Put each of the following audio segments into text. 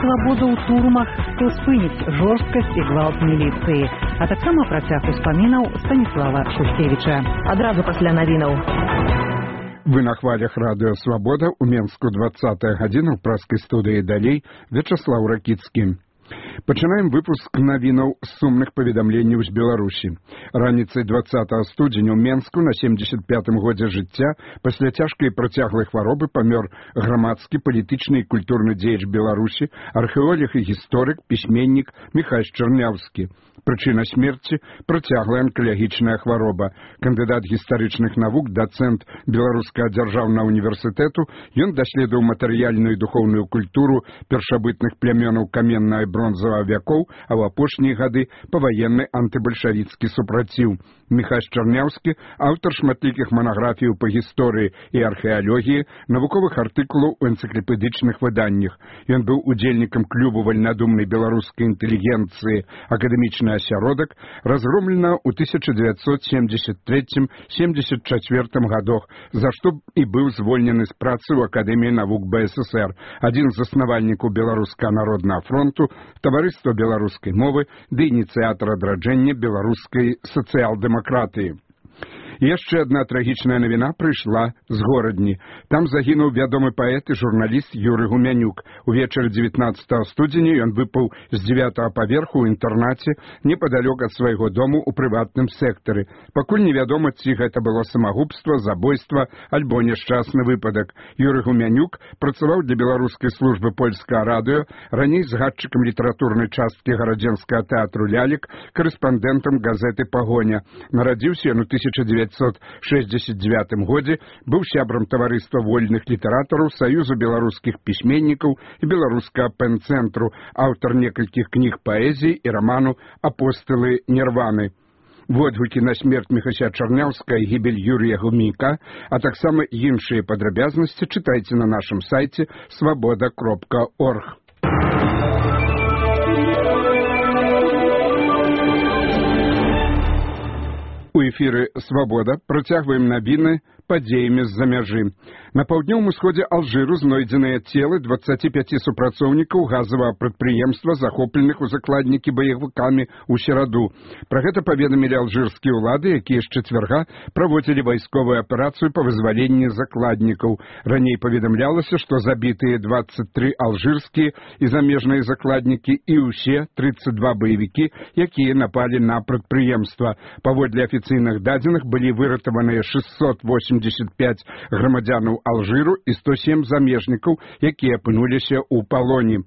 свабода ў турмах, хто спыніць жорсткасць і гвалт міліцыі, а таксама працяг успамінаў Станіслава Шушкевіча. Адразу пасля навінаў. Вы на хвалях радыё «Свабода» у Менску 20-я гадзіна ў праскай студыі далей Вячаслаў Ракіцкі. Пачынаем выпуск навінаў з сумных паведамленняў з Беларусі. Раніцай 20 студзеня ў Менску на 75-м годзе жыцця пасля цяжкай працяглай хваробы памёр грамадскі, палітычны і культурны дзеяч Беларусі, археолог і гісторык, пісьменнік Міхась Чарняўскі. Прычына смерці – працяглая анкалагічная хвароба. Кандыдат гістарычных навук, дацэнт Беларускага дзяржаўнага універсітэту, ён даследаваў матэрыяльную і духоўную культуру першабытных плямёнаў каменнага і бронзавага вякоў, а ў апошнія гады паваенны антыбальшавіцкі супраціў. Міхась Чарняўскі – аўтар шматлікіх манаграфіяў па гісторыі і археалогіі, навуковых артыкулаў у энцыклапедычных выданнях. Ён быў удзельнікам клубу вальнадумнай беларускай інтэлігенцыі «Акадэмічны асяродак», разгромлена ў 1973-74 гадах, за што і быў звольнены з працы ў Акадэміі навук БССР, адзін з заснавальнікаў Беларускага народнага фронту, таварыства беларускай мовы ды ініцыятар адраджэння беларускай сацыял-дэмакратыі. Яшчэ адна трагічная навіна прыйшла з горадні. Там загінуў вядомы паэт і журналіст Юрый Гумянюк. Увечары 19 студзеня ён выпаў з 9-го паверху ў інтэрнаце непадалёк ад свайго дому ў прыватным сектары. Пакуль невядома, ці гэта было самагубства, забойства альбо няшчасны выпадак. Юрый Гумянюк працаваў для беларускай службы польскага радыё, раней згадчыкам літаратурнай часткі гарадзенскага тэатру «Лялек», карэспандэнтам газеты «Пагоня». Нарадзіўся ён у 1969 годзе, быў сябрам таварыства вольных літаратараў, Саюзу беларускіх пісьменнікаў і беларускага пэн-цэнтру, аўтар некалькіх кніг паэзіі і раману «Апостылы Нірваны». Водгукі на смерць Міхася Чарняўскага і гібель Юрія Гумяняка, а таксама іншыя падрабязнасці чытайце на нашым сайце свабода.орг. У эфіры «Свабода» працягваем навіны падзеямі з-за мяжы. На паўднёвым усходзе Алжыру знойдзеныя целы 25 супрацоўнікаў газавага прадпрыемства, захопленых у закладнікі баевікамі ў сераду. Пра гэта паведамілі алжырскія ўлады, якія з чацвярга праводзілі вайсковую аперацыю па вызваленні закладнікаў. Раней паведамлялася, што забітыя 23 алжырскія і замежныя закладнікі і ўсе 32 баевікі, якія напалі на прадпрыемства. Паводле афіцыйных дадзеных былі выратаваныя 685 грамадзянаў Алжыру і 107 замежнікаў, якія апынуліся ў палоне.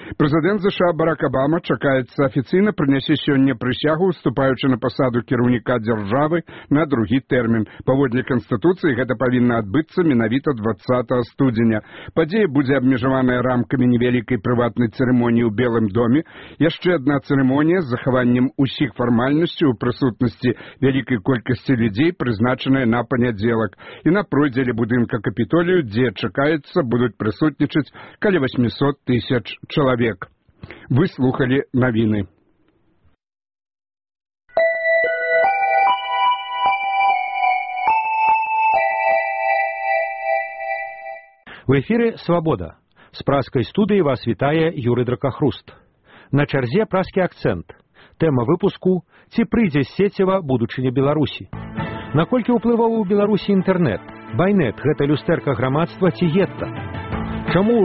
Прэзідэнт США Барак Абама чакаецца афіцыйна прынясе сёння прысягу, уступаючы на пасаду кіраўніка дзяржавы на другі тэрмін. Паводле Канстытуцыі гэта павінна адбыцца менавіта 20 студзеня. Падзея будзе абмежаваная рамкамі невялікай прыватнай цырымоніі ў Белым доме. Яшчэ адна цырымонія з захаваннем усіх фармальнасцяў у прысутнасці вялікай колькасці людзей, прызначаная на панядзелак. І на пройдзеле будынка Капітолію, дзе чакаецца, будуць прысутнічаць каля 800 тысяч чалавек. Вы слухали навіны. В эфіры «Свабода». З праскай студыі вас вітае Юрый Дракахруст. На чарзе праскі акцэнт. Тэма выпуску «Ці прыйдзе з сецева будучыня Беларусі». Наколькі ўплываў у Беларусі інтэрнэт? Байнет – гэта люстэрка грамадства ці гетта? Чаму